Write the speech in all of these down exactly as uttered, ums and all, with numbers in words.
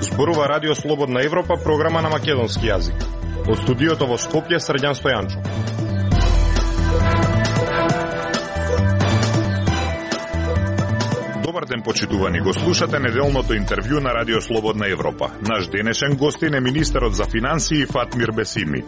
Зборува Радио Слободна Европа, програма на македонски јазик. Од студиото во Скопје, Срđan Стојанчов. Добар ден, почитувани, го слушате неделното интервју на Радио Слободна Европа. Наш денешен гостин е министерот за финансии Фатмир Бесими.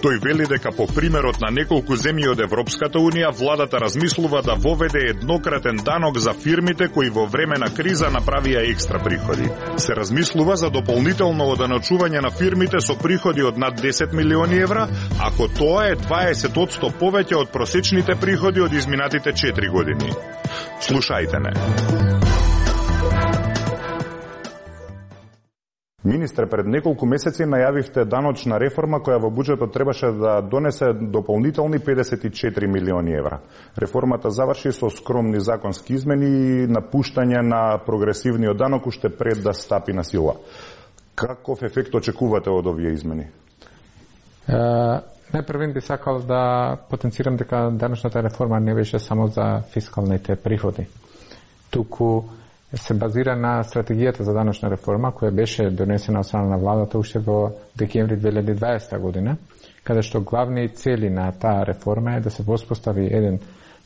Тој вели дека по примерот на неколку земји од Европската унија, владата размислува да воведе еднократен данок за фирмите кои во време на криза направија екстра приходи. Се размислува за дополнително оданочување на фирмите со приходи од над десет милиони евра, ако тоа е дваесет одсто повеќе од просечните приходи од изминатите четири години. Слушајте не. Министре, пред неколку месеци најавивте даночна реформа која во буџетот требаше да донесе дополнителни педесет и четири милиони евра. Реформата заврши со скромни законски измени и напуштање на прогресивниот данок уште пред да стапи на сила. Каков ефект очекувате од овие измени? Uh... Најпрвен би сакал да потенцирам дека даночната реформа не беше само за фискалните приходи. Туку се базира на стратегијата за даночна реформа која беше донесена од страна на владата уште во декември две илјади и дваесета година, каде што главни цели на таа реформа е да се воспостави еден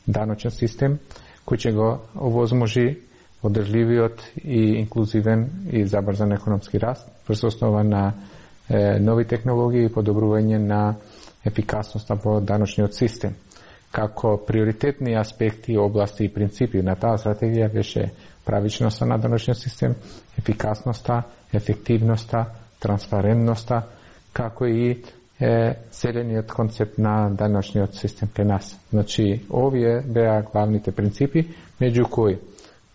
даночен систем кој ќе го овозможи одржливиот и инклузивен и забрзан економски раст врз основа на е, нови технологии и подобрување на ефикасноста во даночниот систем. Како приоритетни аспекти, области и принципи на таа стратегија беше правичноста на даночниот систем, ефикасноста, ефективноста, транспарентноста, како и е, зелениот концепт на даночниот систем кај нас. Значи, овие беа главните принципи, меѓу кои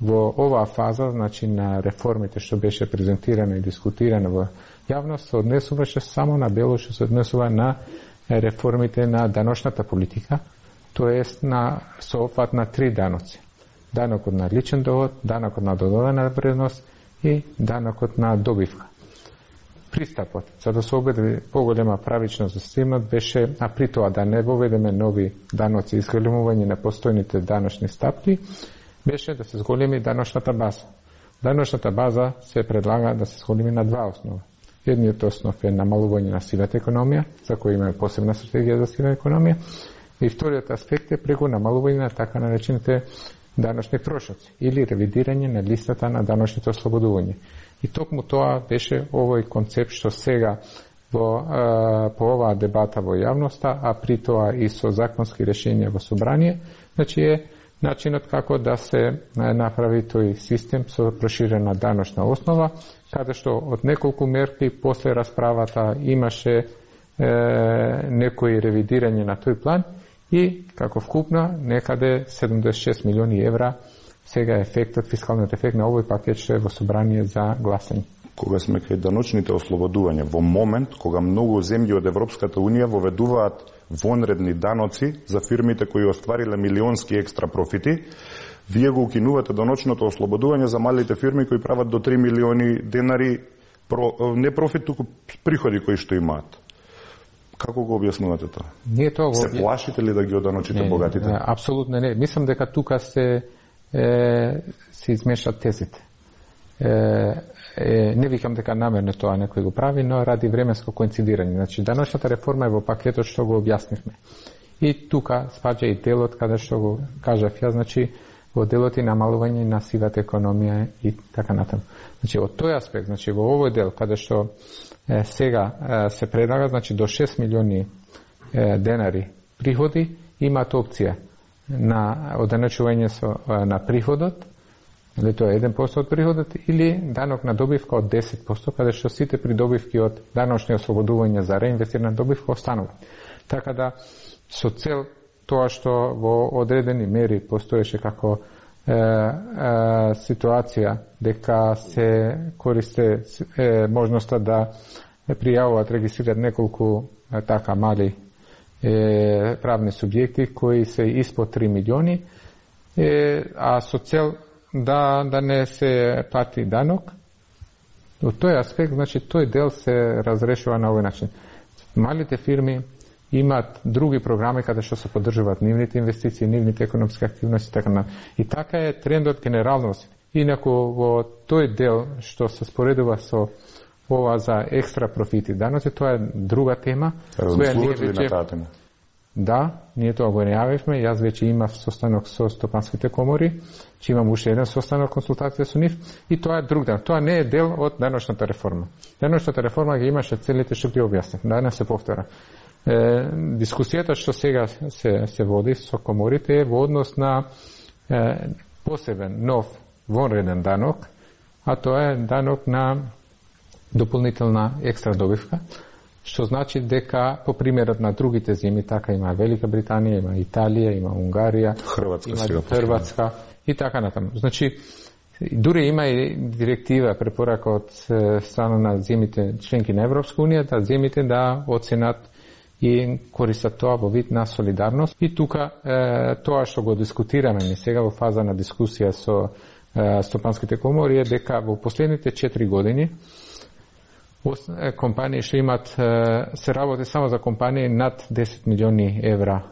во оваа фаза, значи на реформите што беше презентирано и дискутирано во јавност, се однесуваше само на дело што се однесува на реформите на даночната политика, тоест на соопфат на три даноци. Данокот на личен доход, данокот на додадена вредност и данокот на добивка. Пристапот за да се обеди поголема правичност за системот беше, а при тоа да не воведеме нови даноци и зголемување на постојните даночни стапки, беше да се зголеми даночната база. Даночната база се предлага да се зголеми на два основа. Едниот основ е намалување на сивата економија, за кој имаме посебна стратегија за сива економија, и вториот аспект е преку намалување на така наречените даночни трошоци или ревидирање на листата на даночните ослободувања. И токму тоа беше овој концепт што сега во, а, по оваа дебата во јавноста, а при тоа и со законски решенија во собрание, значи е начинот како да се направи тој систем со проширена даночна основа, каде што од неколку мерки после расправата имаше е, некои ревидирање на тој план и како вкупно некаде седумдесет и шест милиони евра сега ефектот, фискалниот ефект на овој пакет што е во собрание за гласање. Кога сме кај даночните ослободувања, во момент кога многу земји од Европската унија воведуваат вонредни даноци за фирмите кои оствариле милионски екстра профити, вие го укинувате даночното ослободување за малите фирми кои прават до три милиони денари про, не профит, туку приходи кои што имаат. Како го објаснувате тоа? Ние тоа го... Се плашите ли да ги оданочите не, богатите? Не, апсолутно не. Мислам дека тука се е, се измешат тезите. Е, е, не викам дека намерно тоа некој го прави, но ради временско коинцидирање. Значи, даночната реформа е во пакетот што го објаснивме. И тука спаѓа и делот каде што го кажав ја, значи во делот и намалување на сивата економија и така натаму. Значи, од тој аспект, значи во овој дел каде што е, сега е, се предлага, значи до шест милиони е, денари приходи, имаат опција на оданочување со на приходот, или тоа е еден процент од приходот, или данок на добивка од десет проценти, каде што сите придобивки од даночни ослободувања за реинвестирана добивка останува. Така да, со цел тоа што во одредени мери постоеше како е, е, ситуација дека се користе е, можноста да пријавуваат, регистрираат неколку е, така мали е, правни субјекти кои се испод три милиони, е, а со цел да да не се плати данок. Од тој аспект, значи тој дел се разрешува на овој начин. Малите фирми имаат други програми каде што се поддржуваат нивните инвестиции, нивните економски активности, така на. И така е трендот генерално. Инаку во тој дел што се споредува со ова за екстра профити даноци, тоа е друга тема. Размислувате ли на таа тема? Да, ние тоа го најавивме. Јас веќе имав состанок со стопанските комори, че имам уште еден состанок консултација со нив, и тоа е друг дел. Тоа не е дел од деношната реформа. Деношната реформа ги имаше целите што ги објаснив. Да не се повтора. Е, дискусијата што сега се, се води со коморите е во однос на е, посебен, нов, вонреден данок, а тоа е данок на дополнителна екстра добивка, што значи дека по примерот на другите земји, така има Велика Британија, има Италија, има Унгарија, Хрватска, има Хрватска и така натаму. Значи, дури има и директива, препорака од страна на земјите членки на Европска унија, да земјите да оценат и користат тоа во вид на солидарност. И тука е, тоа што го дискутираме ми сега во фаза на дискусија со е, стопанските комори е дека во последните четири години компании што имат, се работи само за компании над десет милиони евра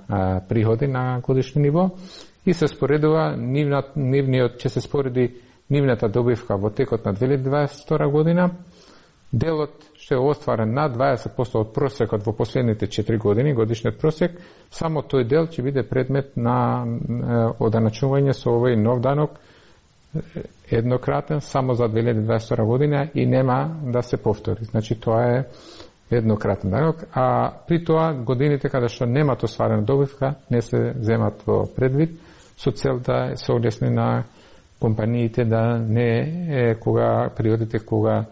приходи на годишно ниво и се споредува нивна, нивниот, че се спореди нивната добивка во текот на две илјади дваесет и втора година, делот што е остварен на дваесет проценти од просекот во последните четири години, годишниот просек, само тој дел ќе биде предмет на оданачување со овој нов данок, еднократен, само за две илјади дваесет и втора година и нема да се повтори. Значи, тоа е еднократен данок, а при тоа годините каде што немат остварена добивка не се земат во предвид со цел да се олесни на компаниите да не е кога периодите кога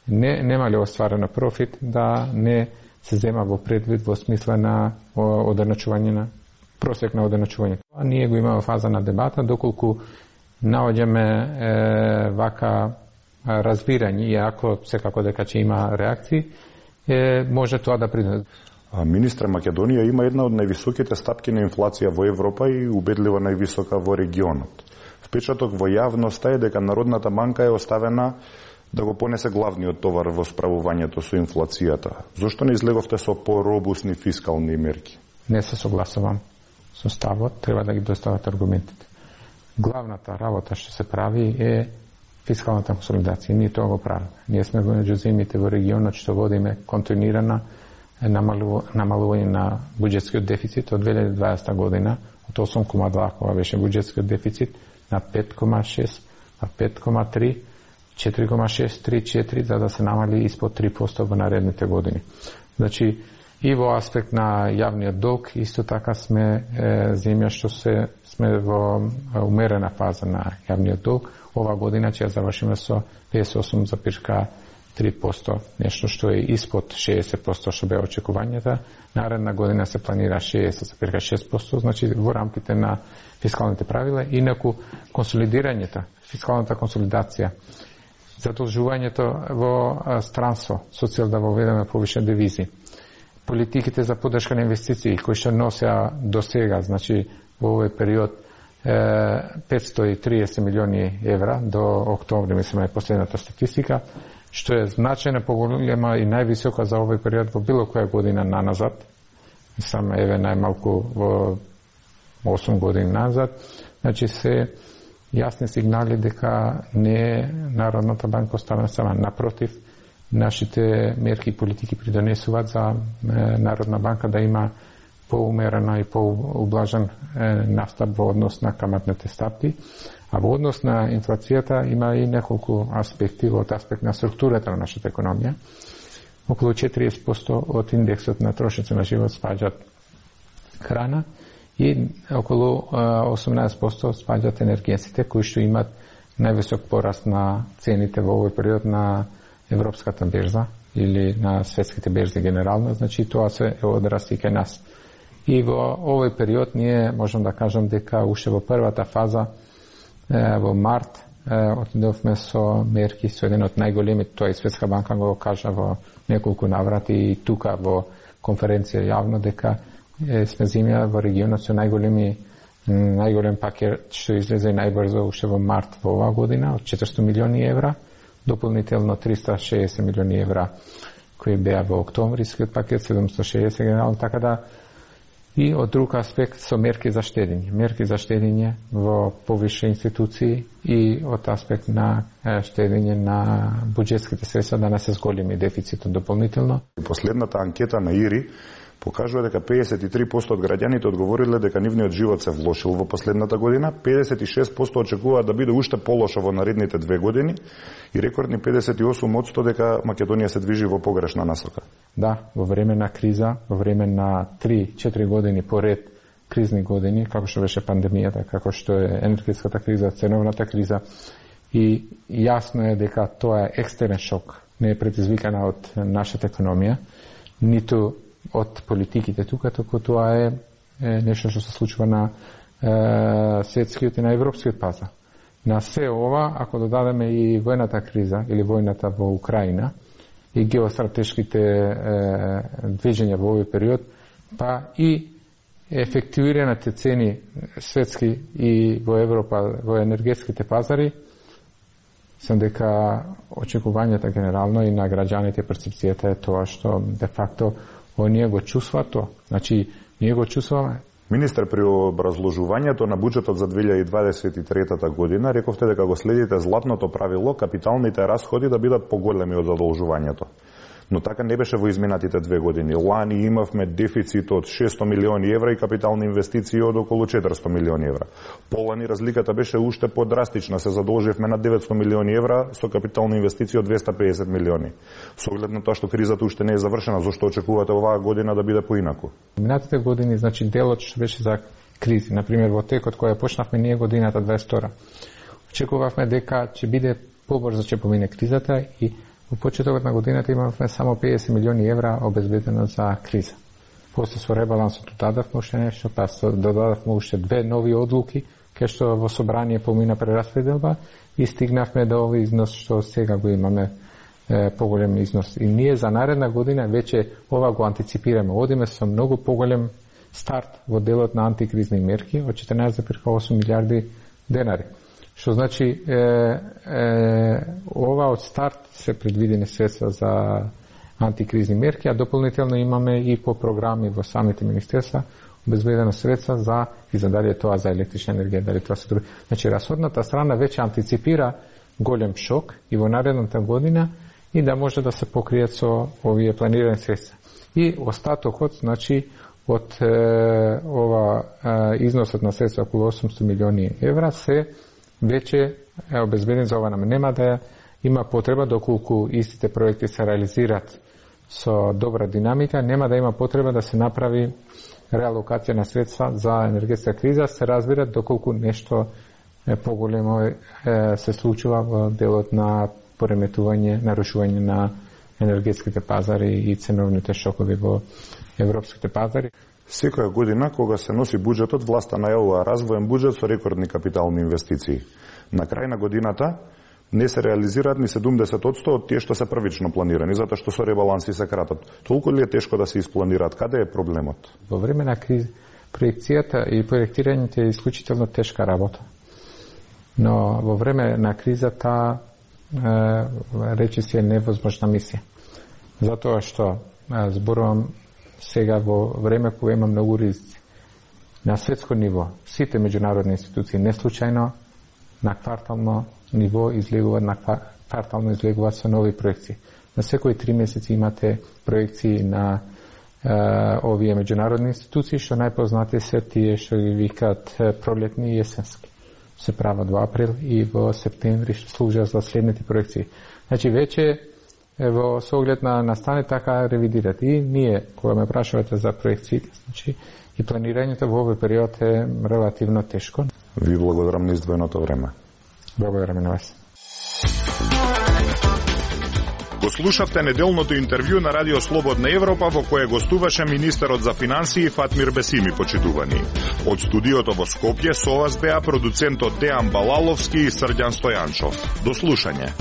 не немале остварена профит да не се зема во предвид во смисла на оденачување на просек на оденачување. А ние го имаме фаза на дебата доколку наоѓаме е, вака разбирање, иако секако дека ќе има реакции, е, може тоа да приде. Министре, Македонија има една од највисоките стапки на инфлација во Европа и убедливо највисока во регионот. Впечаток во јавноста е дека Народната банка е оставена да го понесе главниот товар во справувањето со инфлацијата. Зошто не излеговте со поробусни фискални мерки? Не се согласувам со ставот, треба да ги достават аргументите. Главната работа што се прави е фискалната консолидација. Ние тоа го правиме. Ние сме меѓу земјите во регионот што водиме континуирана намалување на буџетскиот дефицит од две илјади и дваесета година, од осум кoma два кога беше буџетскиот дефицит, на пет кoma шест, на пет кoma три, четири кoma шест, три, четири, за да се намали испод три проценти во наредните години. Значи, и во аспект на јавниот долг, исто така сме е, земја што се сме во умерена фаза на јавниот долг. Ова година ќе завршиме со педесет и осум зарез три проценти, нешто што е испод шеесет проценти што бе очекувањата. Наредна година се планира шеесет зарез шест проценти, значи во рамките на фискалните правила. Инаку консолидирањето, фискалната консолидација, задолжувањето во странство, со цел да воведеме повише девизи, политиките за поддршка на инвестиции кои што носеа до сега, значи во овој период петстотини и триесет милиони евра до октомври, мислам е последната статистика, што е значајно поголема и највисока за овој период во било која година наназад. Мислам еве најмалку во осум години назад. Значи се јасни сигнали дека не е Народната банка оставена сама. Напротив, нашите мерки и политики придонесуваат за Народна банка да има поумерена и поублажен настап во однос на каматните стапки, а во однос на инфлацијата има и неколку аспекти. Од аспект на структурата на нашата економија, околу четириесет проценти од индексот на трошици на живот спаѓаат храна и околу осумнаесет проценти спаѓаат енергенците, кои што имаат највисок пораст на цените во овој период на европската берза или на светските берзи генерално. Значи тоа се одраз и кај нас. И во овој период ние можам да кажам дека уште во првата фаза во март отидовме со мерки со еден од најголемите, тоа и Светска банка го кажа во неколку наврати и тука во конференција јавно, дека сме земја во регионот со најголеми најголем пакет што излезе најбрзо уште во март во оваа година од четиристотини милиони евра, дополнително триста и шеесет милиони евра кои беа во октомврискиот пакет седумстотини и шеесет генерално, така да и од друг аспект со мерки за штедење. Мерки за штедење во повише институции и од аспект на штедење на буџетските средства да не се зголеми дефицитот дополнително. Последната анкета на ИРИ покажува дека педесет и три проценти од граѓаните одговориле дека нивниот живот се влошил во последната година, педесет и шест проценти очекуваат да биде уште полошо во наредните две години и рекордни педесет и осум проценти дека Македонија се движи во погрешна насока. Да, во време на криза, во време на три-четири години поред кризни години, како што беше пандемијата, како што е енергетската криза, ценовната криза, и јасно е дека тоа е екстерен шок, не е предизвикана од нашата економија, ниту од политиките тука, току тоа е, е нешто што се случува на е, светскиот и на европскиот пазар. На се ова, ако додадеме и војната криза или војната во Украина и геостратешките е, движења во овој период, па и ефективираните цени светски и во Европа во енергетските пазари, сам дека очекувањата генерално и на граѓаните перцепцијата е тоа што де факто оние го чувствуваат тоа. Значи, ние го чувствуваме. Министер, при образложувањето на буџетот за две илјади и дваесет и трета година рековте дека го следите златното правило капиталните расходи да бидат поголеми од задолжувањето. Но така не беше во изминатите две години. Лани имавме дефицит од шестоста милиони евра и капитални инвестиции од околу четиристотини милиони евра. Полани разликата беше уште подрастична, се задолживме на деветстотини милиони евра со капитални инвестиции од двеста и педесет милиони. Со оглед на тоа што кризата уште не е завршена, зошто очекувате оваа година да биде поинаку? Минатите години, значи делот што беше за кризи, например во текот која почнавме ние годината дваесет и втора, очекувавме дека ќе биде побрзо ќе помине кризата и во почетокот на годината имавме само педесет милиони евра обезбедено за криза. После со ребалансот додадавме уште нешто, па додадавме уште две нови одлуки, кај што во собрание помина прераспределба и стигнавме до овој износ што сега го имаме, е, поголем износ. И ние за наредна година веќе ова го антиципираме. Одиме со многу поголем старт во делот на антикризни мерки од четрнаесет зарез осум милијарди денари. Што значи, е, е, ова од старт се предвидени средства за антикризни мерки, а дополнително имаме и по програми во самите министерства обезбедено средства за и за дали тоа за електрична енергија, дали тоа се други. Значи, расходната страна веќе антиципира голем шок и во наредната година и да може да се покријат со овие планирани средства. И остатокот, значи, од е, ова е, износот на средства околу осумстотини милиони евра се веќе е обезбеден за ова нам. Нема да има потреба, доколку истите проекти се реализират со добра динамика, нема да има потреба да се направи реалокација на средства за енергетска криза, се разбира доколку нешто е поголемо е, се случува во делот на пореметување, нарушување на енергетските пазари и ценовните шокови во европските пазари. Секоја година, кога се носи буџетот, власта најавува развоен буџет со рекордни капитални инвестиции. На крај на годината не се реализираат ни седумдесет проценти од тие што се првично планирани, затоа што со ребаланси се кратат. Толку ли е тешко да се испланираат? Каде е проблемот? Во време на криза проекцијата и проектирањето е исклучително тешка работа. Но во време на кризата е, речи се е невозможна мисија. Затоа што е, зборувам сега во време кога има многу ризици. На светско ниво, сите меѓународни институции не случајно на квартално ниво излегуваат на квартално излегуваат со нови проекции. На секои три месеци имате проекции на е, овие меѓународни институции, што најпознати се тие што ги викаат пролетни и есенски. Се прават во април и во септември, што служат за следните проекции. Значи веќе во со оглед на настане така ревидират. И ние, кога ме прашувате за проекциите, значи и планирањето во овој период е релативно тешко. Ви благодарам на издвоеното време. Благодарам на вас. Го слушавте неделното интервју на Радио Слободна Европа во кое гостуваше министерот за финансии Фатмир Бесими, почитувани. Од студиото во Скопје со вас беа продуцентот Дејан Балаловски и Срđan Стојанчов. До слушање.